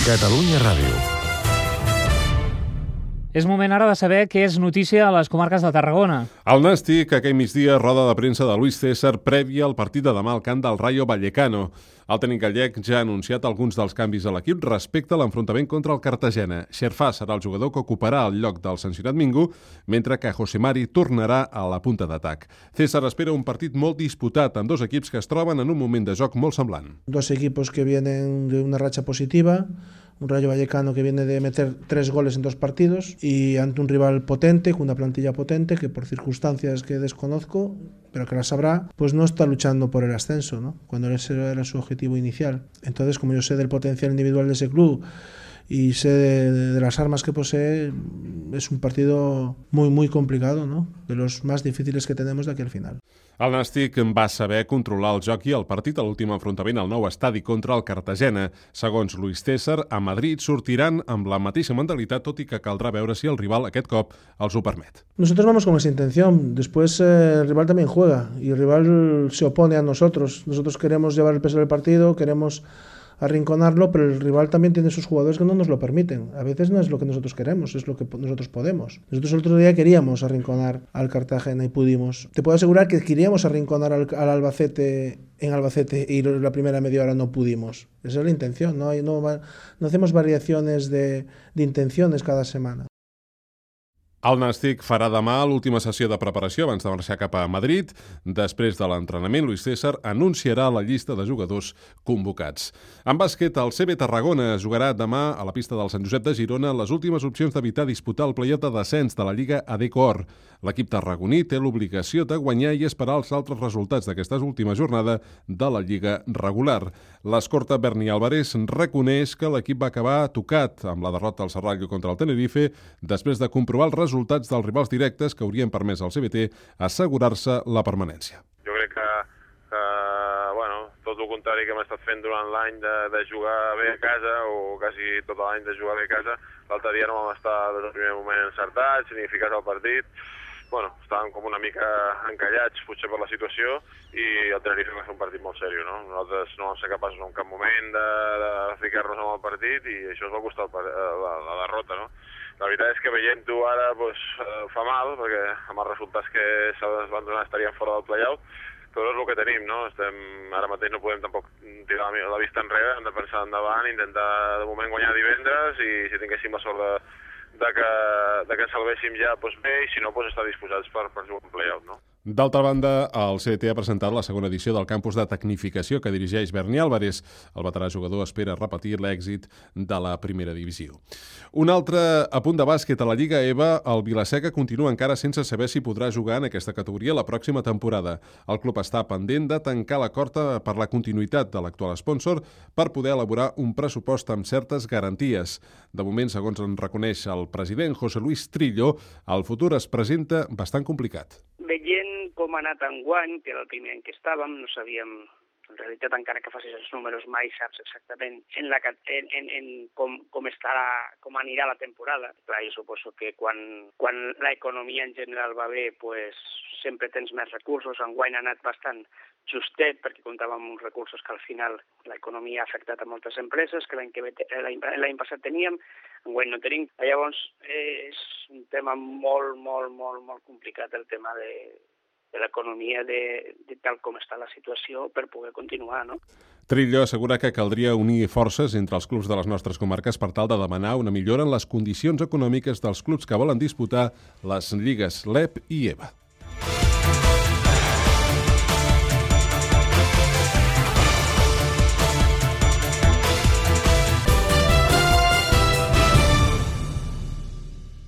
Catalunya Ràdio. És moment ara de saber què és notícia a les comarques de Tarragona. El Nàstic, aquell migdia, roda de premsa de Luis César prèvia al partit de demà al camp del Rayo Vallecano. El tècnic gallec ja ha anunciat alguns dels canvis a l'equip respecte a l'enfrontament contra el Cartagena. Xerfà serà el jugador que ocuparà el lloc del sancionat Mingo, mentre que José Mari tornarà a la punta d'atac. César espera un partit molt disputat amb dos equips que es troben en un moment de joc molt semblant. Dos equipos que vienen de una racha positiva, un Rayo Vallecano que viene de meter 3 goles en 2 partidos y ante un rival potente, con una plantilla potente que por circunstancias que desconozco, pero que las sabrá, pues no está luchando por el ascenso, ¿no? Cuando ese era su objetivo inicial. Entonces, como yo sé del potencial individual de ese club y sé de las armas que posee, es un partido muy complicado, ¿no? De los más difíciles que tenemos de aquí al final. El Nàstic va saber controlar el joc i el partit a l'últim enfrontament al nou estadi contra el Cartagena. Segons Luis César, a Madrid sortiran amb la mateixa mentalitat, tot i que caldrà veure si el rival aquest cop els ho permet. Nosotros vamos con esa intención. Después el rival también juega y el rival se opone a nosotros. Nosotros queremos llevar el peso del partido, queremos arrinconarlo, pero el rival también tiene sus jugadores que no nos lo permiten. A veces no es lo que nosotros queremos, es lo que nosotros podemos. Nosotros el otro día queríamos arrinconar al Cartagena y pudimos. Te puedo asegurar que queríamos arrinconar al Albacete en Albacete y la primera media hora no pudimos. Esa es la intención, no hacemos variaciones de intenciones cada semana. El Nàstic farà demà l'última sessió de preparació abans de marxar cap a Madrid. Després de l'entrenament, Luis César anunciarà la llista de jugadors convocats. En bàsquet, el CB Tarragona jugarà demà a la pista del Sant Josep de Girona les últimes opcions d'evitar disputar el play-off de descens de la Lliga AD-Cor. L'equip tarragoní té l'obligació de guanyar i esperar els altres resultats d'aquesta última jornada de la Lliga regular. L'escorta Berni Álvarez reconeix que l'equip va acabar tocat amb la derrota al Serrallo contra el Tenerife després de comprovar els resultats dels rivals directes que haurien permès al CBT assegurar-se la permanència. Jo crec que tot el contrari que hem estat fent durant l'any de jugar bé a casa, o quasi tot l'any de jugar bé a casa, l'altre dia no vam estar des del primer moment encertats, ni ficats al partit. Estàvem com una mica encallats, potser per la situació, i el Tenerife va fer un partit molt seriós, no? Nosaltres no vam ser capaços en cap moment de ficar-nos en el partit, i això ens va costar la derrota, no? La veritat és que veient-ho ara fa mal, perquè amb els resultats que es van donar estaríem fora del play-out, però és el que tenim, no? Ara mateix no podem tampoc tirar la vista enrere, hem de pensar endavant, intentar de moment guanyar divendres, i si tinguéssim la sort de que ens salvéssim ja, bé, i si no, estar disposats per jugar un play-out, no? D'altra banda, el CDT ha presentat la segona edició del campus de tecnificació que dirigeix Berni Álvarez. El veterà jugador espera repetir l'èxit de la primera divisió. Un altre apunt de bàsquet a la Lliga EVA, el Vilaseca continua encara sense saber si podrà jugar en aquesta categoria la pròxima temporada. El club està pendent de tancar l'acord per la continuïtat de l'actual sponsor per poder elaborar un pressupost amb certes garanties. De moment, segons en reconeix el president José Luis Trillo, el futur es presenta bastant complicat. Veient com ha anat enguany, que era el primer any que estàvem, no sabíem, en realitat, encara que facis els números, mai saps exactament com anirà la temporada. Clar, jo suposo que quan l'economia en general va bé, sempre tens més recursos. Enguany ha anat bastant justet, perquè comptàvem amb uns recursos que al final l'economia ha afectat a moltes empreses, que l'any passat teníem, enguany no tenim. Llavors, és un tema molt complicat, el tema de l'economia, de tal com està la situació, per poder continuar, no? Trillo assegura que caldria unir forces entre els clubs de les nostres comarques per tal de demanar una millora en les condicions econòmiques dels clubs que volen disputar les lligues LEP i EVA.